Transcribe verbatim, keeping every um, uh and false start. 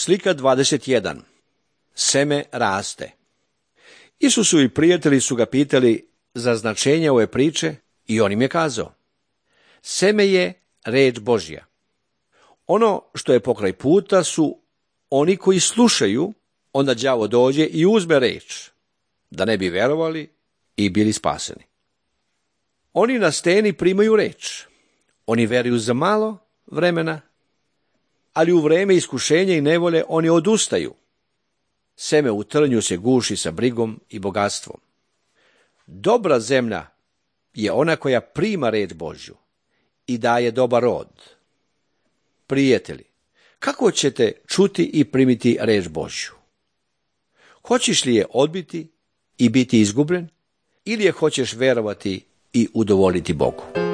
Slika dvadeset jedan. Seme raste. Isusovi prijatelji su ga pitali za značenje ove priče i on im je kazao: seme je reč Božja. Ono što je pokraj puta su oni koji slušaju, onda đavo dođe i uzme reč, da ne bi verovali i bili spaseni. Oni na steni primaju reč. Oni veruju za malo vremena, ali u vreme iskušenja i nevolje oni odustaju. Seme u trnju se guši sa brigom i bogatstvom. Dobra zemlja je ona koja prima reč Božju i daje dobar rod. Prijatelji, kako ćete čuti i primiti reč Božju? Hoćeš li je odbiti i biti izgubljen, ili je hoćeš verovati i udovoljiti Bogu?